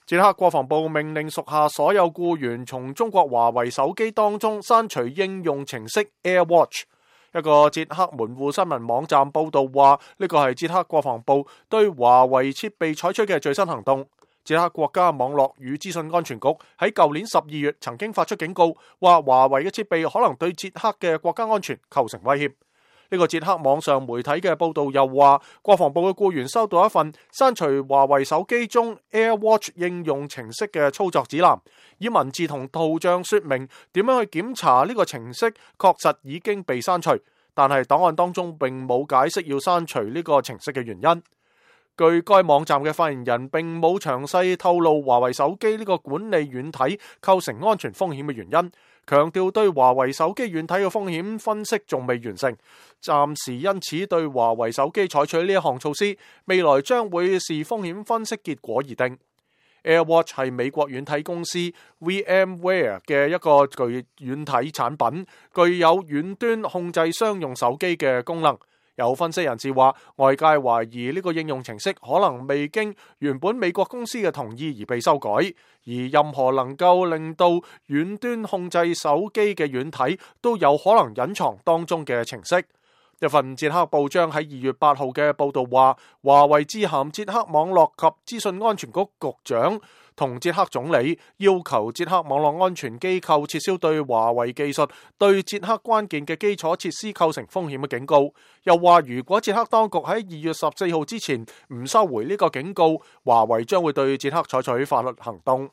捷克國防部命令屬下所有僱員從中國華為手機當中刪除應用程式 AirWatch。一個捷克門戶新聞網站報道話，呢個係捷克國防部對華為設備採取嘅最新行動。捷克國家網絡與資訊安全局喺舊年12月曾經發出警告，話華為嘅設備可能對捷克嘅國家安全構成威脅。呢個捷克網上媒體嘅報道又話，國防部嘅僱員收到一份刪除華為手機中 AirWatch 應用程式嘅操作指南，以文字同圖像說明點樣去檢查呢個程式確實已經被刪除，但係檔案當中並冇解釋要刪除呢個程式嘅原因。據該網站嘅發言人並冇詳細透露華為手機呢個管理軟體構成安全風險嘅原因，強調對華為手機軟體嘅風險分析仲未完成，暫時因此對華為手機採取呢一項措施，未來將會視風險分析結果而定。AirWatch 係美國軟體公司 VMware 嘅一個具軟體產品，具有遠端控制商用手機嘅功能。有分析人士話，外界懷疑呢個應用程式可能未經原本美國公司嘅同意而被修改，而任何能夠令到遠端控制手機嘅軟體都有可能隱藏當中嘅程式。一份捷克報章喺2月8號嘅報道話，華為致函捷克網絡及資訊安全局局長同捷克總理，要求捷克網絡安全機構撤銷對華為技術對捷克關鍵嘅基礎設施構成風險嘅警告。又話如果捷克當局喺2月14號之前唔收回呢個警告，華為將會對捷克採取法律行動。